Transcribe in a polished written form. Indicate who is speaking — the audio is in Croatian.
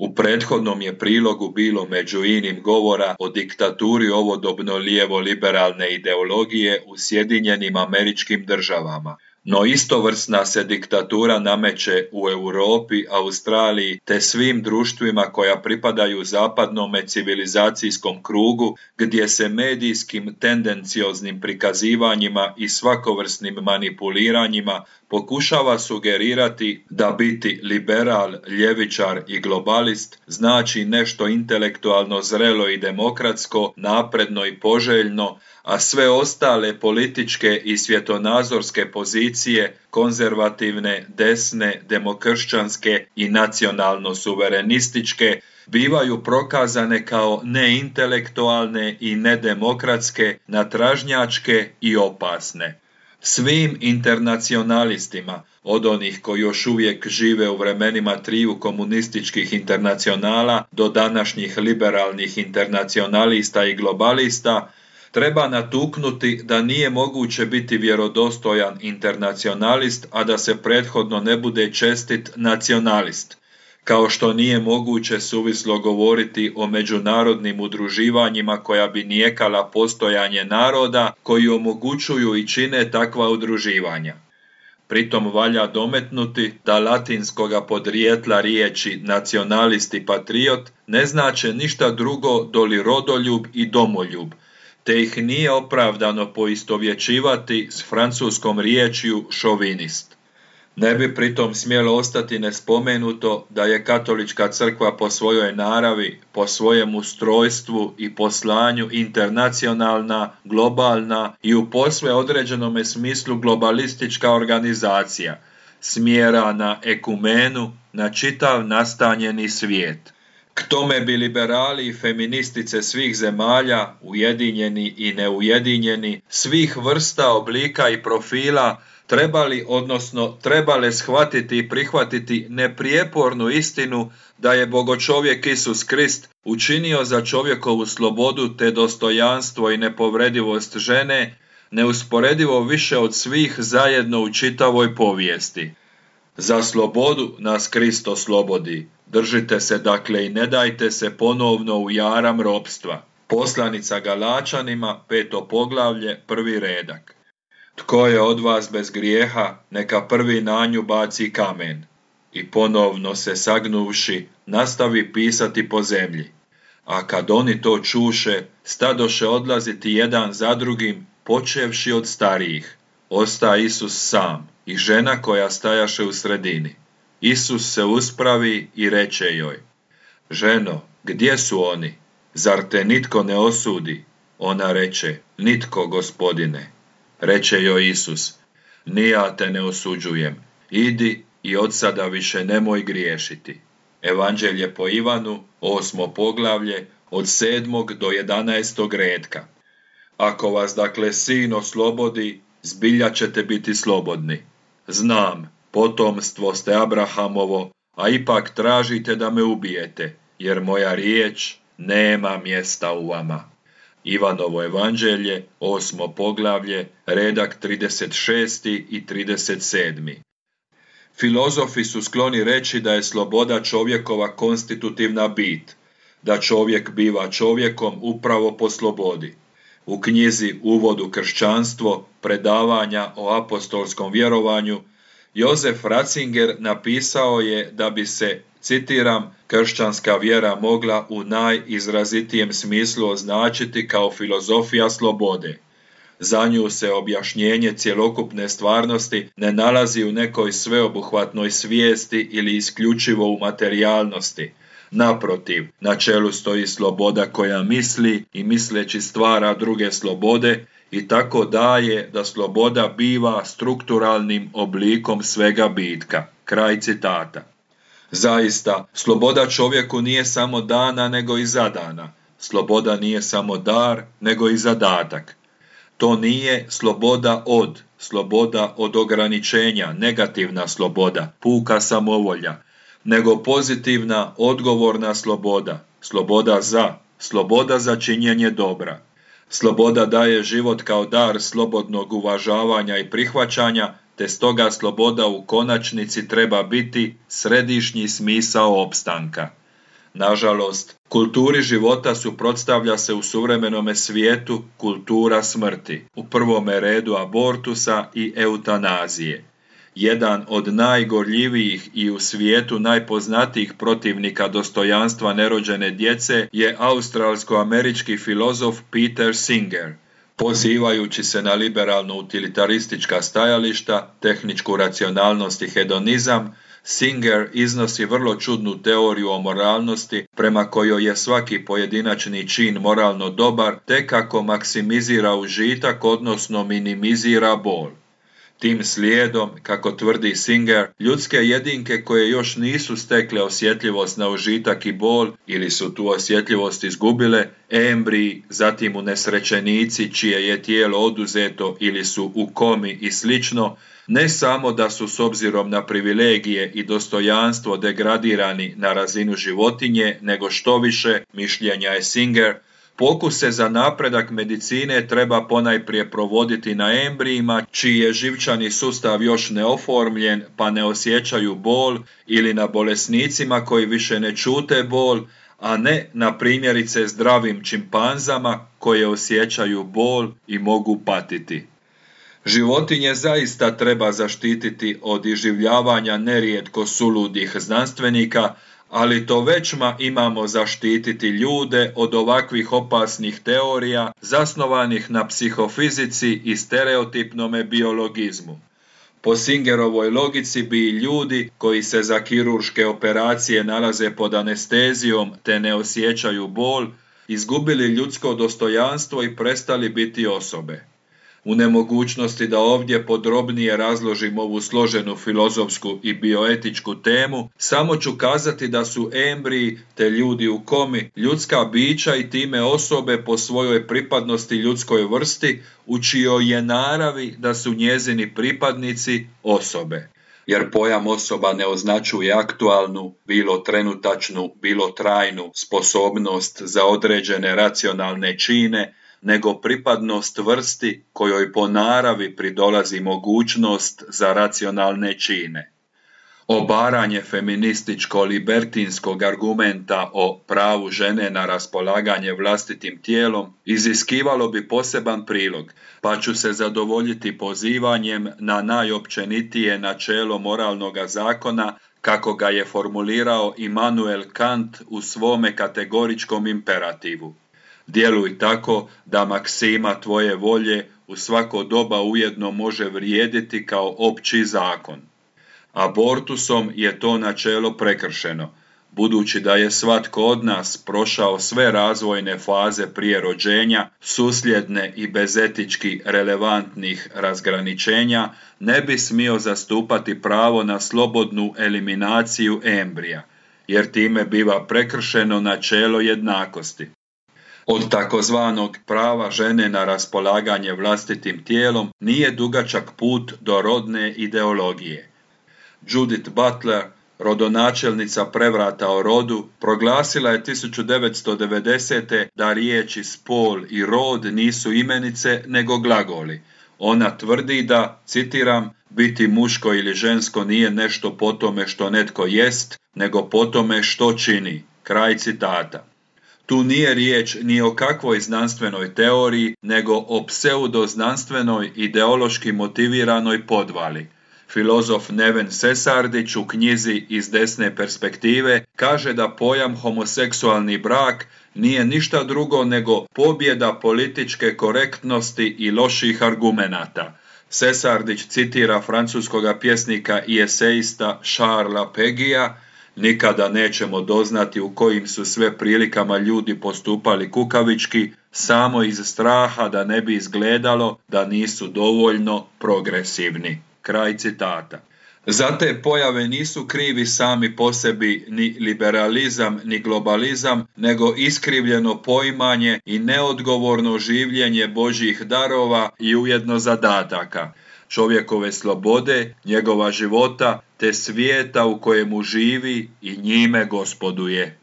Speaker 1: U prethodnom je prilogu bilo među inim govora o diktaturi ovodobno lijevo-liberalne ideologije u Sjedinjenim Američkim Državama. No istovrsna se diktatura nameće u Europi, Australiji te svim društvima koja pripadaju zapadnome civilizacijskom krugu, gdje se medijskim tendencioznim prikazivanjima i svakovrsnim manipuliranjima pokušava sugerirati da biti liberal, ljevičar i globalist znači nešto intelektualno zrelo i demokratsko, napredno i poželjno, a sve ostale političke i svjetonazorske pozicije, konzervativne, desne, demokršćanske i nacionalno-suverenističke, bivaju prokazane kao neintelektualne i nedemokratske, natražnjačke i opasne. Svim internacionalistima, od onih koji još uvijek žive u vremenima triju komunističkih internacionala do današnjih liberalnih internacionalista i globalista, treba natuknuti da nije moguće biti vjerodostojan internacionalist, a da se prethodno ne bude čestit nacionalist, kao što nije moguće suvislo govoriti o međunarodnim udruživanjima koja bi nijekala postojanje naroda koji omogućuju i čine takva udruživanja. Pritom valja dometnuti da latinskoga podrijetla riječi nacionalist i patriot ne znače ništa drugo doli rodoljub i domoljub, te ih nije opravdano poistovjećivati s francuskom riječju šovinist. Ne bi pritom smjelo ostati nespomenuto da je katolička crkva po svojoj naravi, po svojem ustrojstvu i poslanju internacionalna, globalna i u posve određenome smislu globalistička organizacija, smjera na ekumenu, na čitav nastanjeni svijet. K tome bi liberali i feministice svih zemalja, ujedinjeni i neujedinjeni, svih vrsta, oblika i profila, trebale shvatiti i prihvatiti neprijepornu istinu da je bogočovjek Isus Krist učinio za čovjekovu slobodu te dostojanstvo i nepovredivost žene neusporedivo više od svih zajedno u čitavoj povijesti. Za slobodu nas Krist oslobodi. Držite se dakle i ne dajte se ponovno u jaram ropstva. Poslanica Galačanima, 5. poglavlje, 1. redak. Tko je od vas bez grijeha, neka prvi na nju baci kamen. I ponovno se sagnuvši, nastavi pisati po zemlji. A kad oni to čuše, stadoše odlaziti jedan za drugim, počevši od starijih. Osta Isus sam i žena koja stajaše u sredini. Isus se uspravi i reče joj: Ženo, gdje su oni? Zar te nitko ne osudi? Ona reče: Nitko, Gospodine. Reče joj Isus: Ni ja te ne osuđujem. Idi i od sada više nemoj griješiti. Evanđelje po Ivanu, 8. poglavlje, od 7. do 11. redka. Ako vas dakle Sin oslobodi, zbilja ćete biti slobodni. Znam, potomstvo ste Abrahamovo, a ipak tražite da me ubijete, jer moja riječ nema mjesta u vama. Ivanovo evanđelje, 8. poglavlje, redak 36. i 37. Filozofi su skloni reći da je sloboda čovjekova konstitutivna bit, da čovjek biva čovjekom upravo po slobodi. U knjizi Uvod u kršćanstvo, predavanja o apostolskom vjerovanju, Josef Ratzinger napisao je da bi se, citiram, kršćanska vjera mogla u najizrazitijem smislu označiti kao filozofija slobode. Za nju se objašnjenje cjelokupne stvarnosti ne nalazi u nekoj sveobuhvatnoj svijesti ili isključivo u materijalnosti. Naprotiv, na čelu stoji sloboda koja misli i misleći stvara druge slobode i tako daje da sloboda biva strukturalnim oblikom svega bitka. Kraj citata. Zaista, sloboda čovjeku nije samo dana nego i zadana. Sloboda nije samo dar nego i zadatak. To nije sloboda od ograničenja, negativna sloboda, puka samovolja, nego pozitivna, odgovorna sloboda, sloboda za činjenje dobra. Sloboda daje život kao dar slobodnog uvažavanja i prihvaćanja, te stoga sloboda u konačnici treba biti središnji smisao opstanka. Nažalost, kulturi života suprotstavlja se u suvremenome svijetu kultura smrti, u prvome redu abortusa i eutanazije. Jedan od najgorljivijih i u svijetu najpoznatijih protivnika dostojanstva nerođene djece je australsko-američki filozof Peter Singer. Pozivajući se na liberalno-utilitaristička stajališta, tehničku racionalnost i hedonizam, Singer iznosi vrlo čudnu teoriju o moralnosti prema kojoj je svaki pojedinačni čin moralno dobar tek ako maksimizira užitak, odnosno minimizira bol. Tim slijedom, kako tvrdi Singer, ljudske jedinke koje još nisu stekle osjetljivost na užitak i bol ili su tu osjetljivost izgubile, embriji, zatim unesrećenici čije je tijelo oduzeto ili su u komi i slično, ne samo da su s obzirom na privilegije i dostojanstvo degradirani na razinu životinje, nego što više, mišljenja je Singer, pokuse za napredak medicine treba ponajprije provoditi na embrijima čiji je živčani sustav još neoformljen pa ne osjećaju bol ili na bolesnicima koji više ne čute bol, a ne na primjerice zdravim čimpanzama koje osjećaju bol i mogu patiti. Životinje zaista treba zaštititi od iživljavanja nerijetko suludih znanstvenika, ali to većma imamo zaštititi ljude od ovakvih opasnih teorija zasnovanih na psihofizici i stereotipnome biologizmu. Po Singerovoj logici bi i ljudi koji se za kirurške operacije nalaze pod anestezijom te ne osjećaju bol, izgubili ljudsko dostojanstvo i prestali biti osobe. U nemogućnosti da ovdje podrobnije razložim ovu složenu filozofsku i bioetičku temu, samo ću kazati da su embriji te ljudi u komi ljudska bića i time osobe po svojoj pripadnosti ljudskoj vrsti, u čijoj je naravi da su njezini pripadnici osobe. Jer pojam osoba ne označuje aktualnu, bilo trenutačnu, bilo trajnu sposobnost za određene racionalne čine, nego pripadnost vrsti kojoj po naravi pridolazi mogućnost za racionalne čine. Obaranje feminističko-libertinskog argumenta o pravu žene na raspolaganje vlastitim tijelom iziskivalo bi poseban prilog, pa ću se zadovoljiti pozivanjem na najopćenitije načelo moralnoga zakona kako ga je formulirao Immanuel Kant u svome kategoričkom imperativu. Djeluj tako da maksima tvoje volje u svako doba ujedno može vrijediti kao opći zakon. Abortusom je to načelo prekršeno, budući da je svatko od nas prošao sve razvojne faze prije rođenja, susljedne i bezetički relevantnih razgraničenja, ne bi smio zastupati pravo na slobodnu eliminaciju embrija, jer time biva prekršeno načelo jednakosti. Od takozvanog prava žene na raspolaganje vlastitim tijelom nije dugačak put do rodne ideologije. Judith Butler, rodonačelnica prevrata o rodu, proglasila je 1990. da riječi spol i rod nisu imenice nego glagoli. Ona tvrdi da, citiram, biti muško ili žensko nije nešto po tome što netko jest, nego po tome što čini. Kraj citata. Tu nije riječ ni o kakvoj znanstvenoj teoriji, nego o pseudoznanstvenoj ideološki motiviranoj podvali. Filozof Neven Sesardić u knjizi Iz desne perspektive kaže da pojam homoseksualni brak nije ništa drugo nego pobjeda političke korektnosti i loših argumenata. Sesardić citira francuskoga pjesnika i eseista Charlesa Péguya: nikada nećemo doznati u kojim su sve prilikama ljudi postupali kukavički, samo iz straha da ne bi izgledalo da nisu dovoljno progresivni. Kraj citata. Za te pojave nisu krivi sami po sebi ni liberalizam ni globalizam, nego iskrivljeno poimanje i neodgovorno življenje Božjih darova i ujedno zadataka, čovjekove slobode, njegova života, te svijeta u kojemu živi i njime gospoduje.